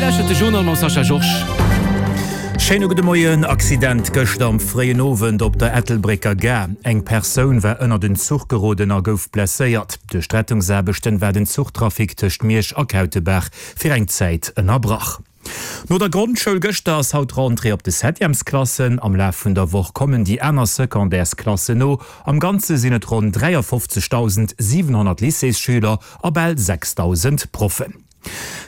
lauschtert de Journal mam Sascha Georges. Schéine gudde Moien. Accident gëschter am fréien Owend op der Ettelbrécker Gare. Eng Persoun war ënnert en Zuch geroden a gouf blesséiert. Duerch d'Rettungsaarbechten war den Zuchtrafic tëscht Miersch a Kautebaach fir eng Zäit ënnerbrach. No der Grondschoul gëschter ass haut d'Rentrée op de Septièmesklassen. Am Laf vun der Woch kommen déi aner Secondaires-Klassen no. Am Ganze sinn et ronn 53.700 Lycéesschüler a bal 6.000 Proffen.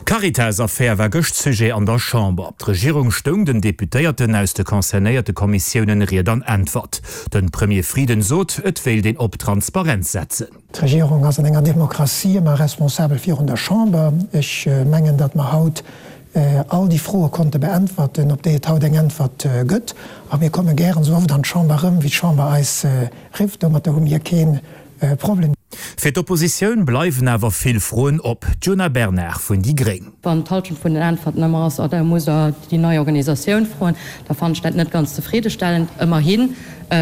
D'Caritas-Affär war gëscht Sujet an der Chamber. D'Regierung stoung den Deputéierten aus de concernéierte Kommissiounen Ried an Äntwert. De Premier Frieden sot, et wéilt een op Transparenz setzen. D'Regierung ass an enger Demokratie ëmmer responsabel virun der Chamber. Ech mengen, datt mer haut all déi Froe konnte beäntwerten, op déi et haut eng Äntwert gëtt. A mir komme gären esou oft an d'Chamber erëm, wéi d'Chamber eis rifft. Domatter hu mir kee Problem. Fir d'Oppositioun bleiwen awer vill Froen op. D'Djuna Bernard vun déi Gréng. Wann d'Halschent vun den Äntwerten ëmmer ass, oh da musst Der déi nei Organisatioun froen, da fannen ech dat net ganz zefriddestellend. Ëmmerhin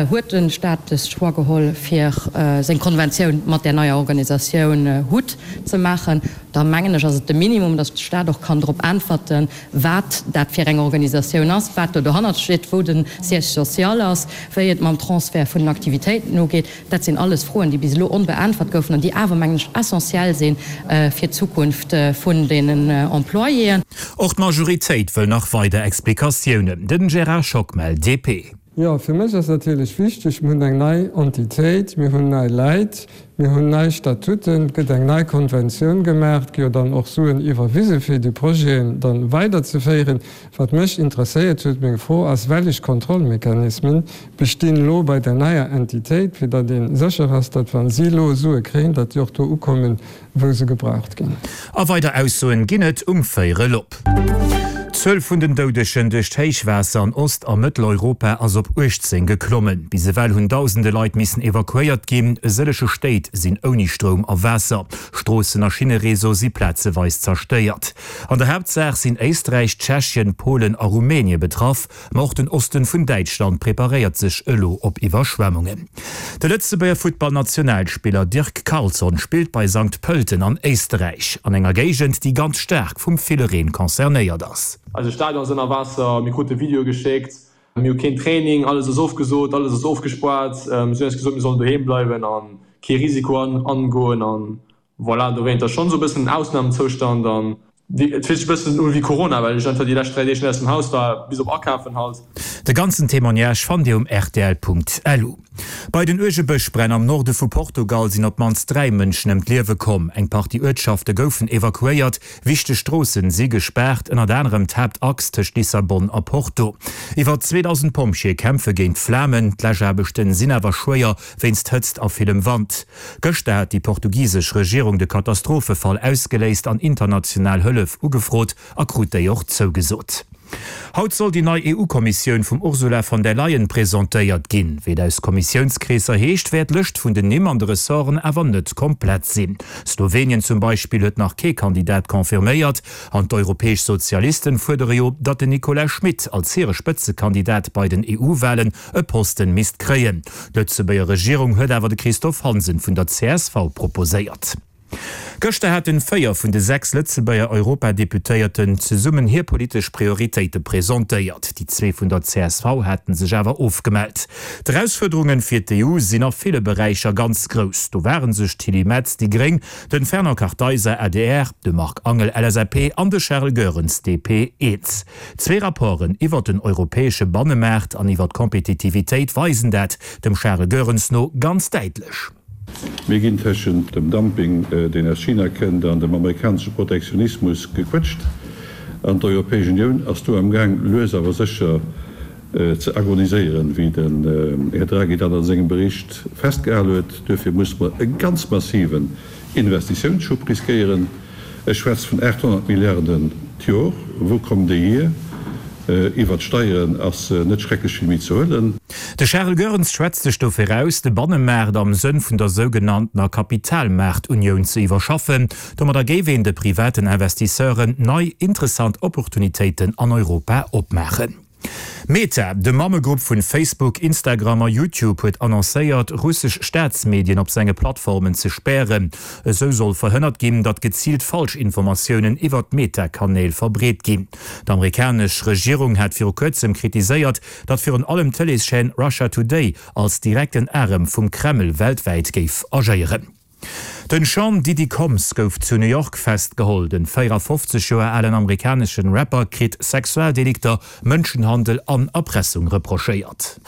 huet de Stat de Choix geholl, fir seng Konventioun mat där neier Organisatioun hut ze maachen. Da mengen ech, ass et de Minimum, datt de Stat och kann drop äntwerten, wat dat fir eng Organisatioun ass, wat do dohannert steet, wou de Siège social ass, wéi et mam Transfert vun den Aktivitéiten ugeet. Dat sinn alles Froen, déi bis elo onbeäntwert goufen an déi awer, mengen ech, essentiell si fir d'Zukunft vun deenen Employéen. Och d'Majoritéit wëll nach weider Explikatiounen. Den Gérard Schockmel, DP. Jo, fir mech ass natierlech wichteg, mir hunn eng nei Entitéit, mir hunn nei Läit, mir hunn nei Statuten, et gëtt eng nei Konventioun gemaach, et gi jo dann och Suen iwwerwise fir déi Projeten dann weiderzeféieren. Wat mech interesséiert huet, meng Fro ass, Wellech Kontrollmechanismen bestinn elo bei der neier Entitéit, fir datt ee sécher ass, datt wa si elo Sue kréien, datt déi och do ukommen, wou se gebraucht ginn. A weider Aussoen ginn et um Véierel op. D'Zuel vun den Doudegen duerch d'Héichwaasser an Ost a Mëtteleuropa ass op 18 geklommen. Bis ewell hunn dausende Leit missen evakuéiert ginn. E sëllege Stéit sinn ouni Stroum a Waasser. Stroossen a Schinnereseau si plazeweis zerstéiert. An der Haaptsaach sinn Éisträich, Tschechien, Polen a Rumänie betraff. Ma och den Osten vun Däitschland preparéiert sech elo op Iwwerschwemmungen. De Lëtzebuerger Futtballnationalspiller Dirk Carlson spillt bei Sankt Pölten an Éisterräich, an enger Géigend, déi ganz staark vum ville Reen concernéiert ass. Eise Stadion ass ënner Waasser, mir krute Videoe geschéckt, mir hu keen Training, alles ass ofgesot, alles ass ofgespaart. Si hunn eis gesot, mir sollen doheem bleiwen a kee Risiko angoen. An Voilà, dowéint ass schonn esou e bëssen en Ausnamezoustand an et fillt sech e bëssen u wéi Corona, well ech einfach déi lescht 3 Deeg net aus dem Haus war, bis op akafen halt. De ganzen Témoignage fannt Dir um rtl.lu. Bei den uerge Bëschbränn am Norde vu Portugal sinn op d'mannst 3 Mënschen ëm d'Liewe komm. Eng Partie Uertschafte goufen evakuéiert, wichteg Stroossen si gespaart, ënnert anerem d'Haaptachs tëscht Lissabon a Porto. Iwwer 2.000 Pompjeeë kämpfe géint d'Flamen, d'Läschaarbechten sinn awer schwéier wéinst Hëtzt a villem Wand. Gëschter hat déi portugisesch Regierung de Katastrophefall ausgeléist an international Hëllef ugefrot a krut déi och zougesot. Haut soll déi nei EU-Kommissioun vum Ursula von der Leyen presentéiert ginn. Wéi et aus Kommissiounskreesser heescht, wäert d'Lëscht vun den Nimm an de Ressorten awer net komplett sinn. Slowenien zum Beispill huet nach kee Kandidat confirméiert an d'europäesch Sozialisten fuerdere jo, datt den Nicolas Schmit als hire Spëtzekandidat bei den EU-Walen e Posten misst kréien. D'Lëtzebuerger Regierung huet awer de Christophe Hansen vun der csv proposéiert. Gëschter haten 4 vun de 6 Lëtzebuerger Europadeputéierten zesummen hir politesch Prioritéite presentéiert. Déi zwee vun der csv haten sech awer ofgemellt. D'Erausfuerderungen fir d'EU sinn a ville Beräicher ganz grouss. Do waren sech d'Tilly Metz, déi gréng, den Fernand Kartheiser, adr, de Marc Angel, LSAP, an de Charles Goerens, DP, eens. Zwee Rapporten iwwert den europäesche Bannemaart an iwwer d'Kompetitivitéit weisen dat, dem Charles Goerens no, ganz däitlech. Mir ginn tëschent dem Dumping, deen aus China kënnt, an dem amerikanesche Protektionismus gequëtscht. An d'Europäesch Unioun ass do amgaang, lues awer sécher ze agoniséieren, wéi den Här Draghi dat a sengem Bericht festgehal huet. Duerfir musse mer e ganz massiven Investitiounsschub riskéieren. Ech schwätze vun 800 Milliarden d'Jor. Wou kommen déi hier? Iwwert d'Steieren ass net schrecklech vill méi ze huelen. De Charles Goerens schwätzt sech dofir aus, de Bannemaart am Sënn vun der sougenanntener Kapitalmaartunioun ze iwwerschaffen. Domadder géif een de privaten Investisseuren nei interessant Opportunitéiten an Europa opmaachen. Meta, de Mammegrupp vun Facebook, Instagram a YouTube, huet annoncéiert, russesch Staatsmedien op senge Plattformen ze spären. Esou soll verhënnert ginn, datt geziilt Falschinformatiounen iwwert d'Meta-Kanäl verbreet ginn. D'amerikanesch Regierung hat viru kuerzem kritiséiert, datt virun allem d'Tëleeschaîne Russia Today als direkten Arem vum Kreml weltwäit géif agéieren. Den Sean Diddy Combs gouf zu New York festgeholl. Den 54 Joer alen amerikaneschen Rapper kritt Sexualdelikter, Mënschenhandel an Erpressung reprochéiert.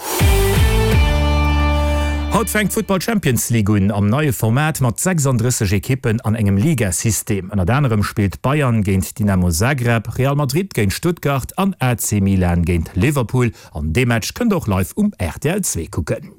Haut fänkt d'Futtball Champions League un, am neie Format mat 36 Ekippen an engem Ligasystem. Ënnert anerem spillt Bayern géint Dynamo Zagreb, Real Madrid géint Stuttgart an AC Milan géint Liverpool. An dee Match kënnt der och live um rtl 2 kucken.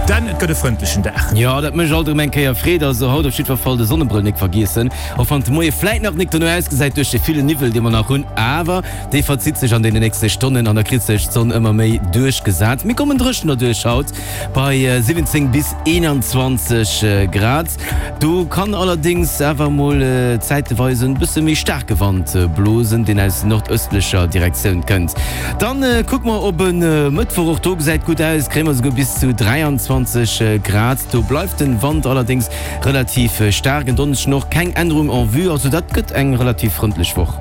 Dan, et gëtt e frëndlechen Dag. Jo, dat mécht alt erëm eng Kéier Freed. Also haut op jiddwer Fall de Sonnebrëll nik vergiessen, och wann de Moie vläit nach nik dono ausgesäit duerch de villen Niwwel, dee mer nach hunn. Awer dee verzitt sech an deene nächste Stonnen an da kritt sech d'Sonn ëmmer méi duerchgesat. Mir kommen dréchen derduerch haut bei 17 bis 21 Grad. Do kann allerdéngs awer mol zäiteweis en bësse méi staarke Wand blosen, deen aus nordëstlecher Direktioun kënnt. Dann kucke mer op e Mëttwoch, och do gesäit gutt aus, kréie mer esouguer bis zu 23 Grad. Do bleift den Wand allerdéngs relativ staark. En Donneschden och keng Ännerung en vue, also dat gëtt eng relativ frëndlech Woch.